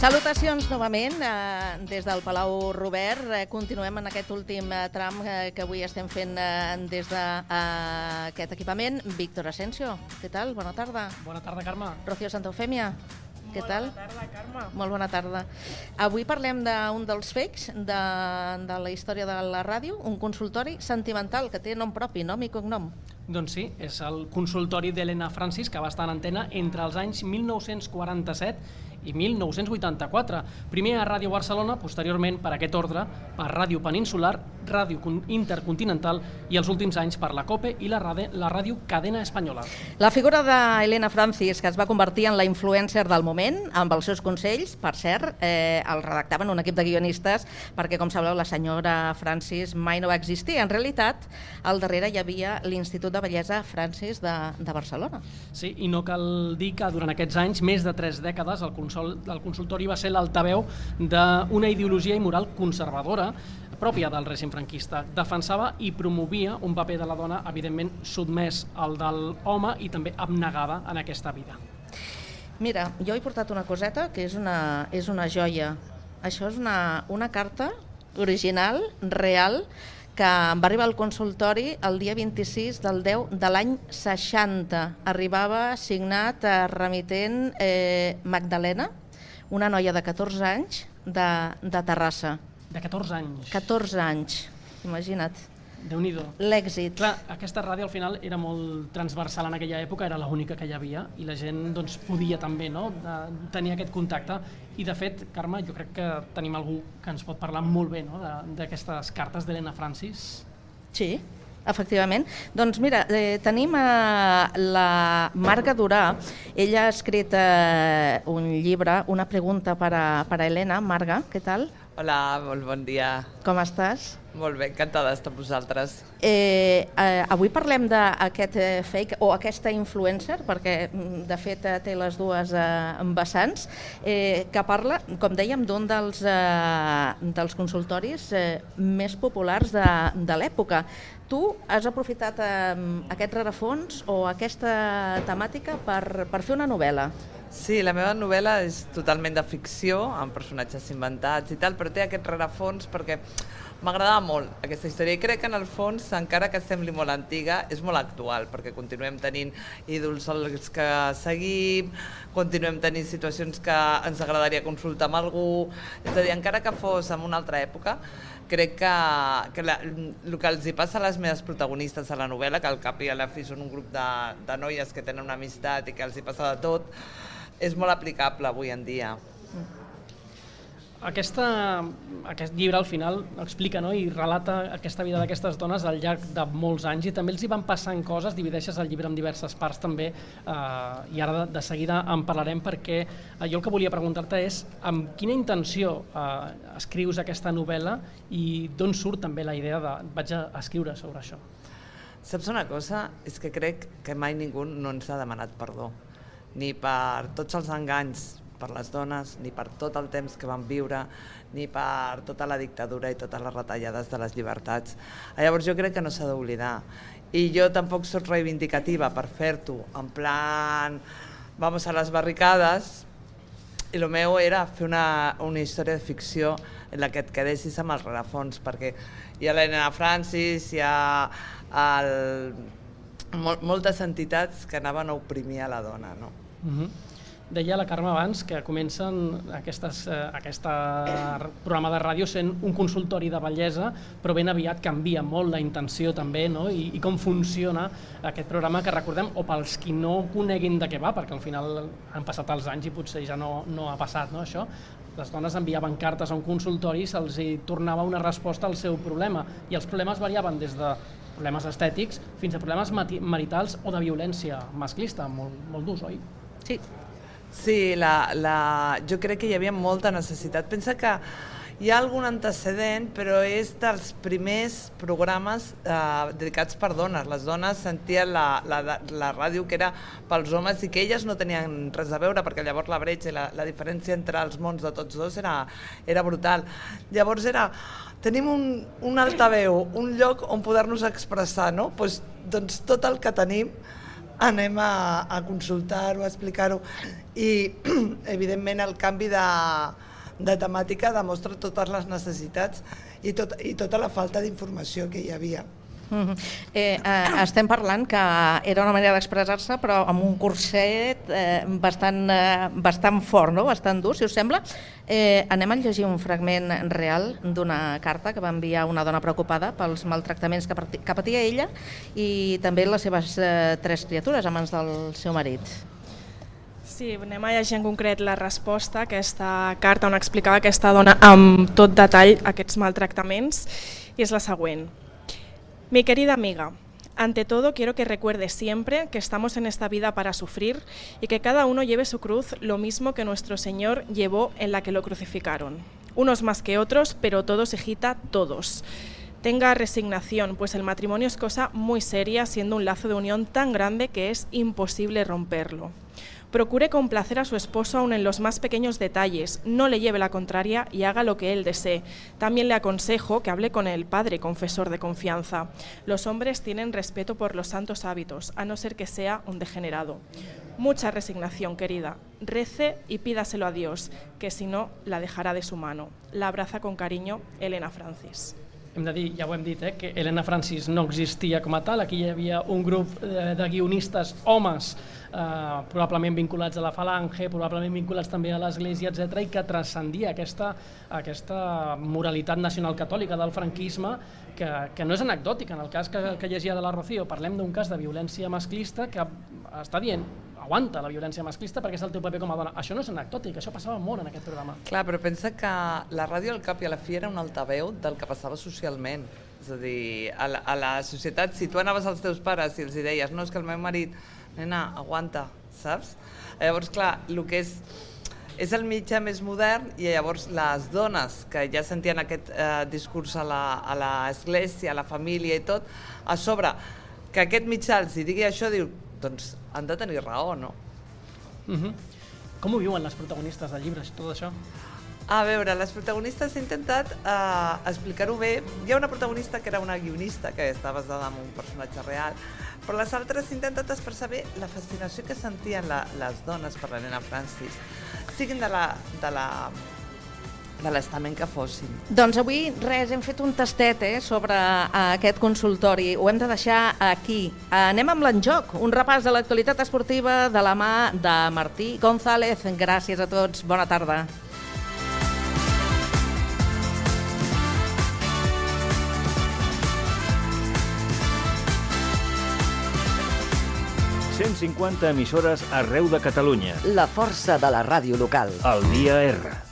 Salutacions novament des del Palau Robert. Continuem en aquest últim tram que avui estem fent des d'aquest equipament. Víctor Asensio, què tal? Bona tarda. Bona tarda, Carme. Rocío Santofèmia, què tal? Bona tarda, Carme. Molt bona tarda. Avui parlem d'un dels fakes de la història de la ràdio, un consultori sentimental que té nom propi, nom i cognom. Doncs sí, és el consultori d'Helena Francis, que va estar en antena entre els anys 1947 i 1984. Primer a Ràdio Barcelona, posteriorment per aquest ordre, per Ràdio Peninsular, Ràdio Intercontinental i els últims anys per la COPE i la Ràdio Cadena Espanyola. La figura d'Helena Francis, que es va convertir en la influencer del moment, amb els seus consells, per cert, el redactaven un equip de guionistes, perquè, com sabeu, la senyora Francis mai no va existir. En realitat, al darrere hi havia l'Institut de Bellesa Francis de Barcelona. Sí, i no cal dir que durant aquests anys, més de 3 dècades, el consultori va ser l'altaveu d'una ideologia i moral conservadora pròpia del règim franquista. Defensava i promovia un paper de la dona, evidentment, sotmès al de l'home i també abnegada en aquesta vida. Mira, jo he portat una coseta que és una joia. Això és una carta original, real, que em va arribar al consultori el dia 26 del 10 de l'any 60. Arribava signat remitent Magdalena, una noia de 14 anys de Terrassa. De 14 anys. 14 anys, imagina't. Déu-n'hi-do. L'èxit. Clar, aquesta ràdio al final era molt transversal en aquella època, era l'única que hi havia i la gent doncs, podia també tenir aquest contacte. I de fet, Carme, jo crec que tenim algú que ens pot parlar molt bé d'aquestes cartes d'Helena Francis. Sí, efectivament. Doncs mira, tenim la Marga Durà. Ella ha escrit un llibre, una pregunta per a Helena. Marga, què tal? Hola, molt bon dia. Com estàs? Molt bé, encantada d'estar amb vosaltres. Avui parlem d'aquest fake o aquesta influencer, perquè de fet té les dues vessants, que parla, com dèiem, d'un dels consultoris més populars de l'època. Tu has aprofitat aquest rerefons o aquesta temàtica per fer una novel·la. Sí, la meva novel·la és totalment de ficció, amb personatges inventats i tal, però té aquest rerefons perquè m'agradava molt aquesta història i crec que en el fons, encara que sembli molt antiga, és molt actual, perquè continuem tenint ídols als que seguim, continuem tenint situacions que ens agradaria consultar amb algú, és a dir, encara que fos en una altra època, crec que el que els hi passa a les meves protagonistes a la novel·la, que al cap i a la fi són un grup de noies que tenen una amistat i que els hi passa de tot, és molt aplicable avui en dia. Aquest llibre al final explica i relata aquesta vida d'aquestes dones al llarg de molts anys i també els hi van passant coses, divideixes el llibre en diverses parts també i ara de seguida en parlarem perquè jo el que volia preguntar-te és amb quina intenció escrius aquesta novel·la i d'on surt també la idea de vaig a escriure sobre això? Saps una cosa? És que crec que mai ningú no ens ha demanat perdó, ni per tots els enganys per les dones, ni per tot el temps que van viure, ni per tota la dictadura i totes les retallades de les llibertats. Llavors jo crec que no s'ha d'oblidar. I jo tampoc soc reivindicativa per fer-t'ho, en plan, vamos a les barricades, i el meu era fer una història de ficció en la que et quedessis amb el rerefons, perquè hi ha l'Helena Francis, hi ha moltes entitats que anaven a oprimir a la dona, no? Deia la Carme abans que comencen aquest programa de ràdio sent un consultori de bellesa, però ben aviat canvia molt la intenció també i com funciona aquest programa que recordem, o pels qui no coneguin de què va, perquè al final han passat els anys i potser ja no ha passat això. Les dones enviaven cartes a un consultori i se'ls tornava una resposta al seu problema i els problemes variaven des de problemes estètics fins a problemes maritals o de violència masclista, molt durs, oi? Sí. Sí, jo crec que hi havia molta necessitat. Pensa que hi ha algun antecedent, però és dels primers programes dedicats per dones. Les dones sentien la ràdio que era pels homes i que elles no tenien res a veure, perquè llavors la bretxa i la diferència entre els mons de tots dos era brutal. Llavors tenim un altaveu, un lloc on poder-nos expressar, no? Doncs tot el que tenim anem a consultar-ho, a explicar-ho, i evidentment el canvi de temàtica demostra totes les necessitats i tota la falta d'informació que hi havia. Estem parlant que era una manera d'expressar-se, però amb un curset bastant fort, no? Bastant dur, si us sembla. Anem a llegir un fragment real d'una carta que va enviar una dona preocupada pels maltractaments que patia ella i també les seves 3 criatures a mans del seu marit. Sí, anem a llegir en concret la resposta a aquesta carta on explicava aquesta dona amb tot detall aquests maltractaments, i és la següent. Mi querida amiga, ante todo quiero que recuerdes siempre que estamos en esta vida para sufrir y que cada uno lleve su cruz lo mismo que nuestro Señor llevó en la que lo crucificaron. Unos más que otros, pero todos, hijita, todos. Tenga resignación, pues el matrimonio es cosa muy seria, siendo un lazo de unión tan grande que es imposible romperlo. Procure complacer a su esposo aun en los más pequeños detalles, no le lleve la contraria y haga lo que él desee. También le aconsejo que hable con el padre confesor de confianza. Los hombres tienen respeto por los santos hábitos, a no ser que sea un degenerado. Mucha resignación, querida. Rece y pídaselo a Dios, que si no, la dejará de su mano. La abraza con cariño, Elena Francis. Hem de dir, ja ho hem dit, que Elena Francis no existia com a tal. Aquí hi havia un grup de guionistes, homes, probablement vinculats a la Falange, probablement vinculats també a l'Església, etc., i que transcendia aquesta moralitat nacional catòlica del franquisme, que no és anecdòtica. En el cas que llegia de la Rocío, parlem d'un cas de violència masclista que està dient aguanta la violència masclista perquè és el teu paper com a dona. Això no és anecdòtic, això passava molt en aquest programa. Clar, però pensa que la ràdio al cap i a la fi era un altaveu del que passava socialment. És a dir, a la societat, si tu anaves als teus pares i els deies no, és que el meu marit, nena, aguanta, saps? Llavors, clar, el que és el mitjà més modern, i llavors les dones que ja sentien aquest discurs a l'església, a la família i tot, a sobre que aquest mitjà els digui això, diu, doncs han de tenir raó, no? Com ho viuen les protagonistes del llibre, tot això? A veure, les protagonistes he intentat explicar-ho bé. Hi ha una protagonista que era una guionista, que està basada en un personatge real, però les altres he intentat expressar bé la fascinació que sentien les dones per l'Elena Francis, siguin de l'estament que fossin. Doncs avui res, hem fet un tastet sobre aquest consultori, ho hem de deixar aquí. Anem amb l'enjoc, un repàs de l'actualitat esportiva de la mà de Martí González. Gràcies a tots, bona tarda. ...150 emissores arreu de Catalunya. La força de la ràdio local. El Dia R.